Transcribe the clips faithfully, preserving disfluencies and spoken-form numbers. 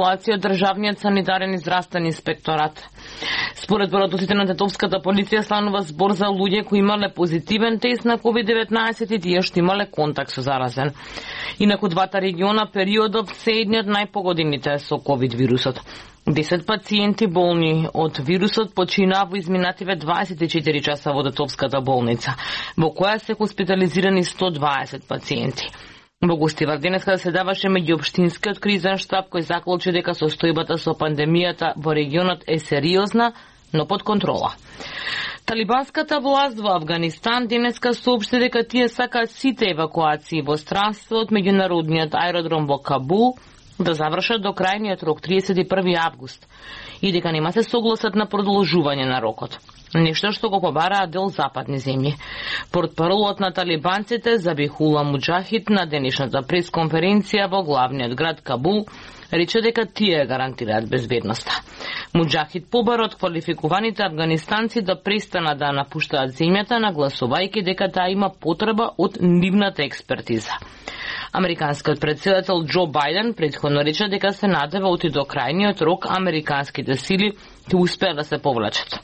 од Државниот санитарен и здравствен инспекторат. Според податоците на Тетовската полиција станува збор за луѓе кои имале позитивен тест на ковид деветнаесет и тие што имале контакт со заразен. Инаку двата региона периодов се едни од најпогодените со ковид вирусот. десет пациенти болни од вирусот починаа во изминативе дваесет и четири часа во Тетовската болница, во која се хоспитализирани сто дваесет пациенти. Во Гостивар денеска се даваше меѓуопштинскиот кризен штаб кој заклучи дека состојбата со пандемијата во регионот е сериозна, но под контрола. Талибанската власт во Авганистан денеска соопшти дека тие сакаат сите евакуации во странство од меѓународниот аеродром во Кабул да завршат до крајниот рок триесет и први август и дека нема се согласат на продолжување на рокот. Нешто што го побараат дел западни земји. Портпаролот на талибанците Забихула Муџахид на денешната пресконференција во главниот град Кабул рече дека тие гарантираат безбедноста. Муџахид побара од квалификуваните афганистанци да престанат да напуштаат земјата, нагласувајќи дека таа има потреба од нивната експертиза. Американскиот претседател Џо Бајден претходно рече дека се надева оти до крајниот рок американските сили ќе успеат да се повлачат.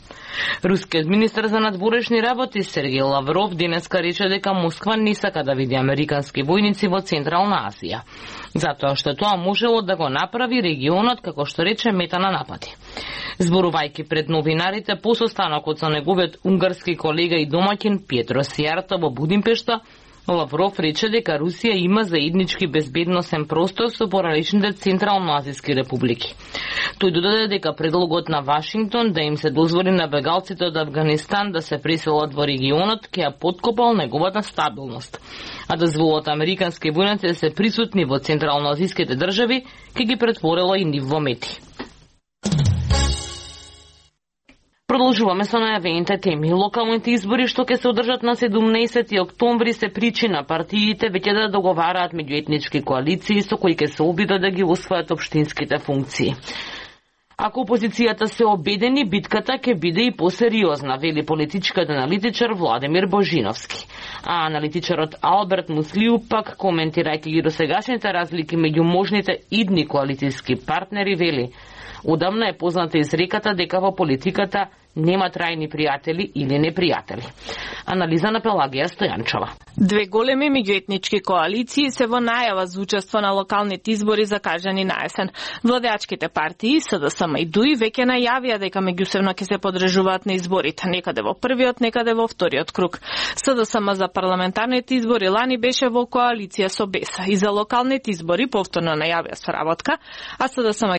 Рускиот министер за надворешни работи Сергеј Лавров денеска рече дека Москва не сака да види американски војници во Централна Азија, затоа што тоа можело да го направи регионот, како што рече, мета на напади. Зборувајќи пред новинарите по состанокот со неговиот унгарски колега и домаќин Петро Сијарто во Будимпешта, Лавров рече дека Русија има заеднички безбедносен простор со пораничните централноазијски републики. Тој додаде дека предлогот на Вашингтон да им се дозволи на бегалците од Авганистан да се преселат во регионот ќе ја поткопал неговата стабилност, а дозволот американски војници да се присутни во централноазијските држави ќе ги претворила и нив во мети. Продолжуваме со најавените теми. Локалните избори што ќе се одржат на седумнаесети октомври се причина партиите веќе да договараат меѓуетнички коалиции со кои ќе се обидат да ги освојат општинските функции. Ако опозицијата се обедени, битката ќе биде и посериозна, вели политичкиот аналитичар Владимир Божиновски. А аналитичарот Алберт Муслиу пак, коментирајќи ги досегашните разлики меѓу можните идни коалицијски партнери, вели: одамна е позната изреката дека во политиката нема трајни пријатели или непријатели. Анализа на Пелагија Стојанчова. Две големи меѓуетнички коалиции се во најава за учество на локалните избори закажани на есен. Владеачките партии СДСМ и ДУИ веќе најавија дека меѓусебно ќе се подржуваат на изборите, некаде во првиот, некаде во вториот круг. СДСМ за парламентарните избори лани беше во коалиција со БЕС и за локалните избори повторно најавија соработка, а СДСМ